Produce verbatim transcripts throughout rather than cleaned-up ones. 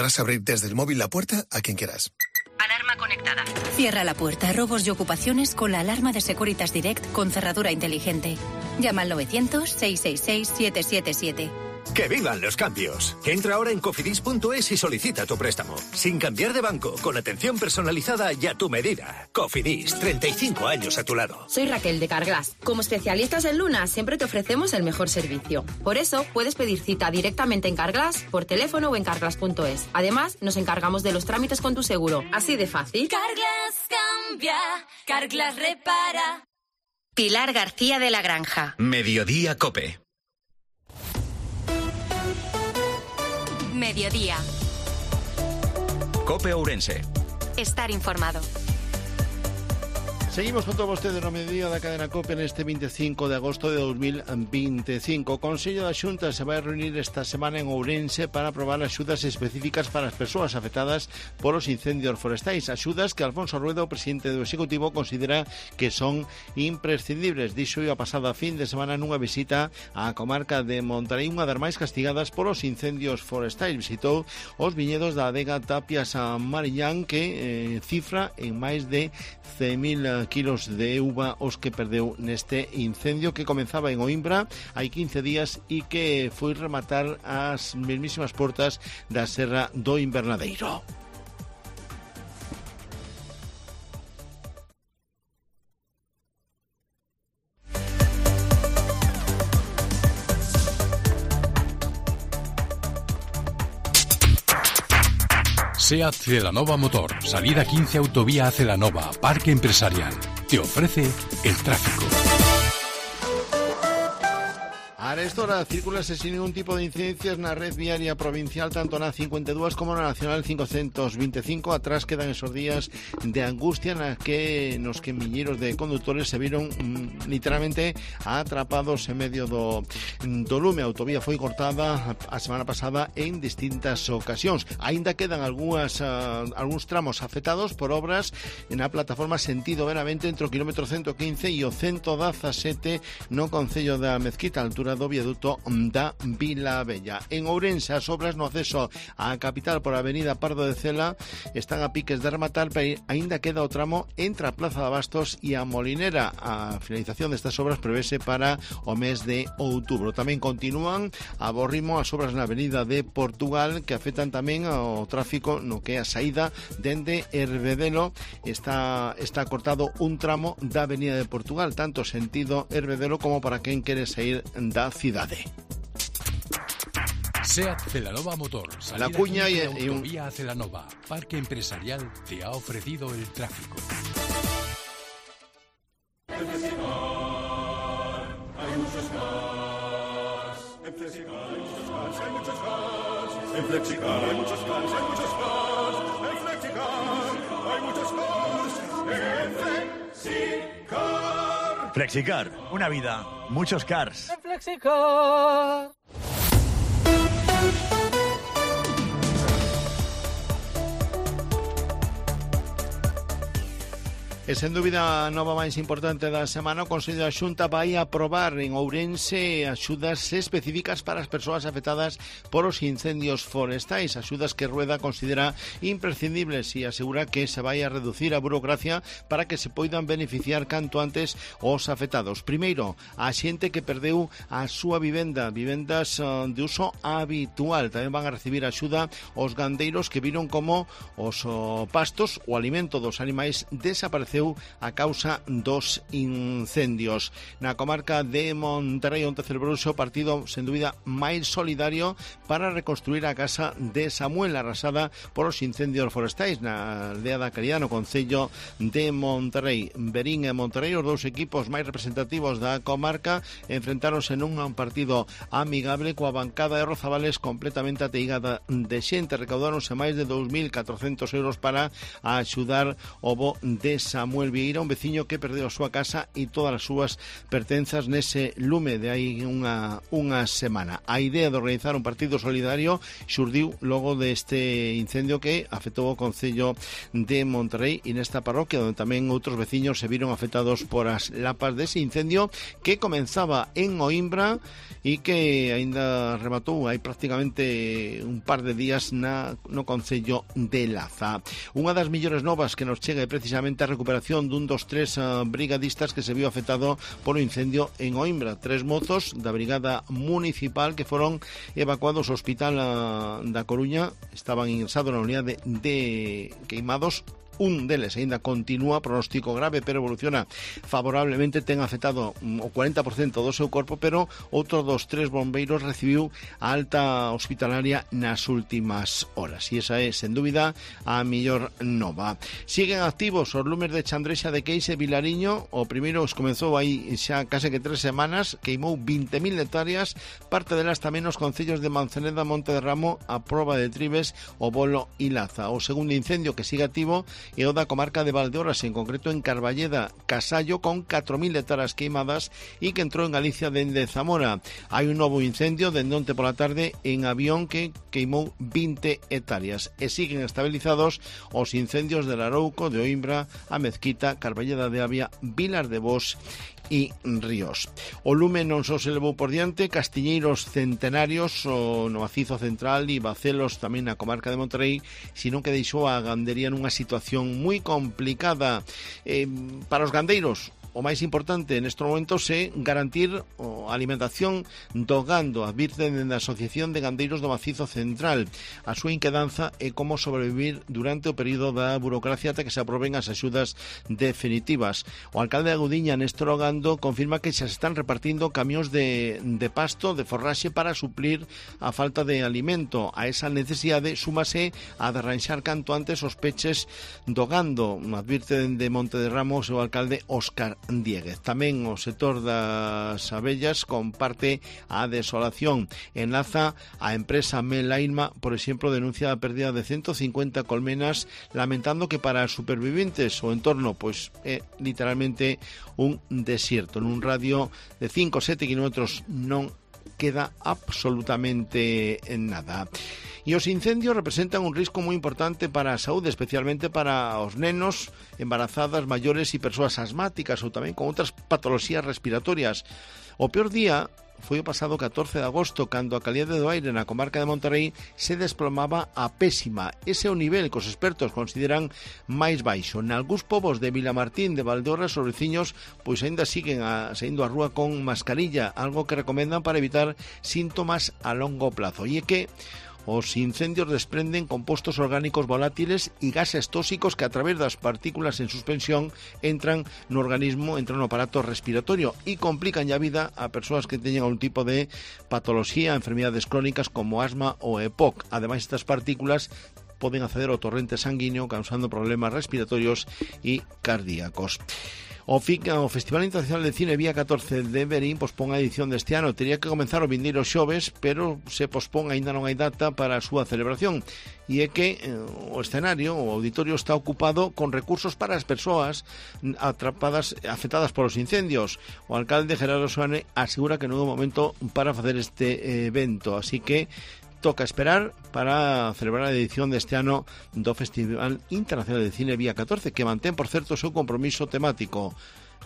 Podrás abrir desde el móvil la puerta a quien quieras. Alarma conectada. Cierra la puerta a robos y ocupaciones con la alarma de Securitas Direct con cerradura inteligente. Llama al novecientos, seiscientos sesenta y seis, siete siete siete. ¡Que vivan los cambios! Entra ahora en cofidis punto es y solicita tu préstamo. Sin cambiar de banco, con atención personalizada y a tu medida. Cofidis, treinta y cinco años a tu lado. Soy Raquel de Carglass. Como especialistas en Luna, siempre te ofrecemos el mejor servicio. Por eso, puedes pedir cita directamente en Carglass, por teléfono o en carglass punto es. Además, nos encargamos de los trámites con tu seguro. Así de fácil. Carglass cambia, Carglass repara. Pilar García de la Granja. Mediodía Cope. Mediodía. Cope Ourense. Estar informado. Seguimos con todos ustedes no mediodía da cadena COPE neste veinticinco de agosto de dos mil veinticinco. O Consello da Xunta se vai reunir esta semana en Ourense para aprobar axudas específicas para as persoas afectadas polos incendios forestais. Axudas que Alfonso Rueda, o presidente do Executivo, considera que son imprescindibles. Dixo a pasada fin de semana nunha visita á comarca de Monterrey, unha das máis castigadas polos incendios forestais. Visitou os viñedos da adega Tapias a Mariñán, que eh, cifra en máis de cen mil kilos de uva os que perdeu neste incendio que comenzaba en Oimbra hai quince días e que foi rematar as mesmísimas portas da Serra do Invernadeiro. SEAT Celanova Motor, salida quince autovía a Celanova, Parque Empresarial. Te ofrece el tráfico. A esta hora circulase sin ningún tipo de incidencias na red viaria provincial, tanto na cincuenta e dúas como na Nacional quinientos veinticinco. Atrás quedan esos días de angustia na que nos que milleiros de conductores se viron mm, literalmente atrapados en medio do, do lume. A autovía foi cortada a semana pasada en distintas ocasións. Aínda quedan algunhas, uh, algúns tramos afectados por obras na plataforma sentido Benavente entre o kilómetro ciento quince e o ciento dezasete no concello da Mezquita, a altura do viaduto da Vila Bella. En Ourense, as obras no acceso á capital por a avenida Pardo de Cela están a piques de rematar, pero aínda queda o tramo entre a Plaza de Abastos e a Molinera. A finalización destas obras prevese para o mes de outubro. Tamén continúan a bo ritmo as obras na avenida de Portugal, que afectan tamén ao tráfico no que é a saída dende Hervedelo. Está, está cortado un tramo da avenida de Portugal, tanto sentido Hervedelo como para quen quere sair da cidade. SEAT Celanova Motor, salida La Cuña y, y un... autovía a Celanova, Parque Empresarial te ha ofrecido el tráfico. En Flexicar hay muchos cars. En Flexicar hay muchos cars, hay muchos cars. En Flexicar hay muchos cars, hay muchos cars. En Flexicar hay muchos cars. En Flexicar. Flexicar, una vida, muchos cars. En Flexicar. E sen dúbida a nova máis importante da semana, o Consello da Xunta vai aprobar en Ourense axudas específicas para as persoas afectadas por os incendios forestais, axudas que Rueda considera imprescindibles e asegura que se vai a reducir a burocracia para que se poidan beneficiar canto antes os afectados. Primeiro, a xente que perdeu a súa vivenda, vivendas uh, de uso habitual. Tamén van a recibir axuda os gandeiros que viron como os uh, pastos, o alimento dos animais desapareceu a causa dos incendios. Na comarca de Monterrey onte celebrouse o partido sen dúbida máis solidario para reconstruir a casa de Samuel arrasada por os incendios forestais na aldea da Caridad no concello de Monterrey. Berín e Monterrey, os dous equipos máis representativos da comarca, enfrentáronse nun partido amigable coa bancada de Rozabales completamente ateigada de xente. Recaudáronse máis de dous mil catrocentos euros para axudar o bo de Samuel. Samuel Vieira, un veciño que perdeu a súa casa e todas as súas pertenzas nese lume de hai unha, unha semana. A idea de organizar un partido solidario xurdiu logo deste incendio que afectou o Concello de Monterrey e nesta parroquia onde tamén outros veciños se viron afectados por as lapas dese incendio que comenzaba en Oimbra e que aínda rematou hai prácticamente un par de días na, no Concello de Laza. Unha das millores novas que nos chega é precisamente a recuperación dun dos tres uh, brigadistas que se viu afectado polo incendio en Oimbra. Tres mozos da Brigada Municipal que foron evacuados ao Hospital uh, da Coruña, estaban ingresados na unidade de queimados. Un deles aínda continúa, pronóstico grave, pero evoluciona favorablemente, ten afectado o cuarenta por cento do seu corpo, pero outro dos tres bombeiros recibiu a alta hospitalaria nas últimas horas. E esa é, sen dúbida, a mellor nova. Siguen activos os lumes de Chandrexa de Queixe e Vilariño. O primeiro os comezou aí xa case que tres semanas, queimou vinte mil hectáreas, parte delas tamén os concellos de Manzaneda, Monte de Ramo, a Proba de Tribes, o Bolo e Laza. O segundo incendio que sigue activo e o da comarca de Valdeorras, en concreto en Carballeda, Casallo, con catro mil hectáreas queimadas e que entrou en Galicia dende Zamora. Hai un novo incendio dende onte pola tarde en Avión que queimou vinte hectáreas e siguen estabilizados os incendios de Larouco, de Oimbra, a Mezquita, Carballeda de Avia, Vilar de Bos e Ríos. O lume non só se levou por diante castiñeiros centenarios o no Macizo Central e Bacelos tamén na comarca de Monterrey, sino que deixou a gandería nunha situación moi complicada. Eh, para os gandeiros, o máis importante neste momento é garantir a alimentación do gando. Advirten dende a Asociación de Gandeiros do Macizo Central. A súa inquedanza é como sobrevivir durante o período da burocracia ata que se aproben as axudas definitivas. O alcalde de Agudiña, Néstor Ogando, confirma que xa se están repartindo camións de, de pasto, de forraxe para suplir a falta de alimento. A esa necesidade súmase a de arranxar canto antes os peches do gando. Advirte dende Monte de Ramos o alcalde Óscar Dieguez. Tamén o sector das abellas comparte a desolación. En Laza, a empresa Melailma, por exemplo, denuncia a pérdida de ciento cincuenta colmenas, lamentando que para os superviventes o entorno pois é literalmente un desierto. Nun radio de cinco a sete kilómetros non queda absolutamente nada. E os incendios representan un risco moi importante para a saúde, especialmente para os nenos, embarazadas, maiores e persoas asmáticas ou tamén con outras patoloxías respiratorias. O peor día foi o pasado catorce de agosto, cando a calidade do aire na comarca de Monterrey se desplomaba a pésima. Ese é o nivel que os expertos consideran máis baixo. Nalgúns povos de Vilamartín, de Valdeorras, os veciños pois aínda siguen a, saindo á rúa con mascarilla, algo que recomendan para evitar síntomas a longo plazo. E é que os incendios desprenden compostos orgánicos volátiles e gases tóxicos que a través das partículas en suspensión entran no organismo, entran no aparato respiratorio e complican a vida a persoas que teñen algún tipo de patoloxía, enfermedades crónicas como asma ou E P O C. Ademais, estas partículas poden acceder ao torrente sanguíneo causando problemas respiratorios e cardíacos. O, F I C, o Festival Internacional de Cine Vía catorce de Verín pospón a edición deste ano. Tería que comenzar o vindeiro xoves, pero se pospón, aínda non hai data para a súa celebración. E é que eh, o escenario, o auditorio, está ocupado con recursos para as persoas atrapadas, afectadas polos incendios. O alcalde Gerardo Soane asegura que non é o momento para facer este evento, así que toca esperar para celebrar a edición deste ano do Festival Internacional de Cine Vía catorce, que mantén, por certo, o seu compromiso temático.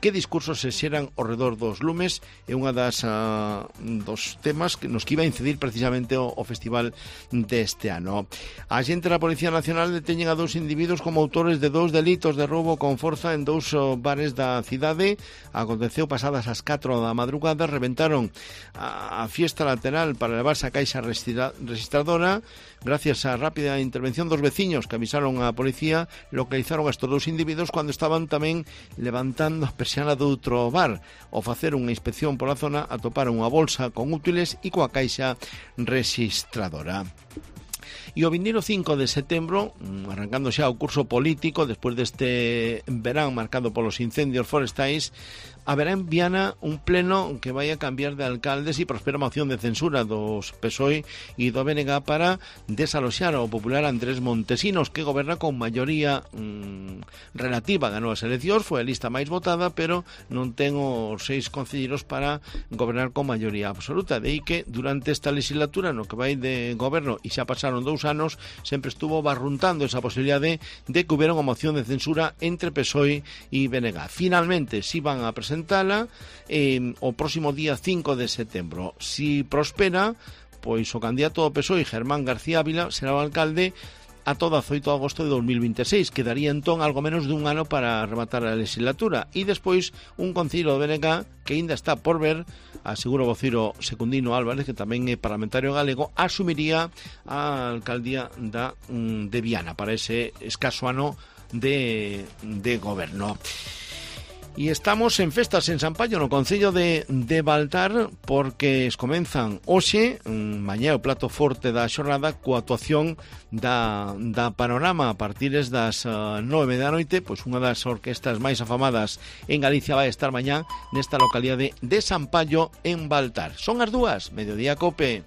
Que discursos se xeran ao redor dos lumes é unha das uh, dos temas que nos que iba a incidir precisamente o, o festival deste ano. A xente da Policía Nacional deteñen a dous individuos como autores de dous delitos de roubo con forza en dous uh, bares da cidade. Aconteceu pasadas as catro da madrugada, reventaron a, a fiesta lateral para levarse a caixa registradora. Gracias á rápida intervención dos veciños que avisaron á policía, localizaron a estes dous individuos cando estaban tamén levantando a persiana do outro bar. Ao facer unha inspección pola zona, atoparon unha bolsa con útiles e coa caixa registradora. E o vindeiro cinco de setembro, arrancando xa o curso político, despois deste verán marcado polos incendios forestais, haberá en Viana un pleno que vai a cambiar de alcaldes e prospera moción de censura dos P S O E e do B N G para desaloxar ao popular Andrés Montesinos, que goberna con maioría mmm, relativa. Ganou as eleccións, foi a lista máis votada, pero non ten os seis concelleiros para gobernar con maioría absoluta. De aí que durante esta legislatura, no que vai de goberno, e xa pasaron dous anos, sempre estuvo barruntando esa posibilidade de que hubiera unha moción de censura entre P S O E e B N G. Finalmente, si van a presentar presentala eh, o próximo día cinco de setembro. Si prospera, pois o candidato do P S O E, Germán García Ávila, será o alcalde a todo dezoito de agosto de dos mil veintiséis. Quedaría entón algo menos dun ano para rematar a legislatura. E despois un concello do B N G que ainda está por ver, asegura o vociro Secundino Álvarez, que tamén é parlamentario galego, asumiría a alcaldía da, de Viana para ese escaso ano de, de goberno. E estamos en festas en Sampaio, no concello de, de Baltar, porque es comenzan hoxe, mañá o plato forte da xornada, coa actuación da, da Panorama a partir das uh, nove da noite. Pois unha das orquestas máis afamadas en Galicia vai estar mañá nesta localidade de Sampaio en Baltar. Son as dúas, Mediodía Cope.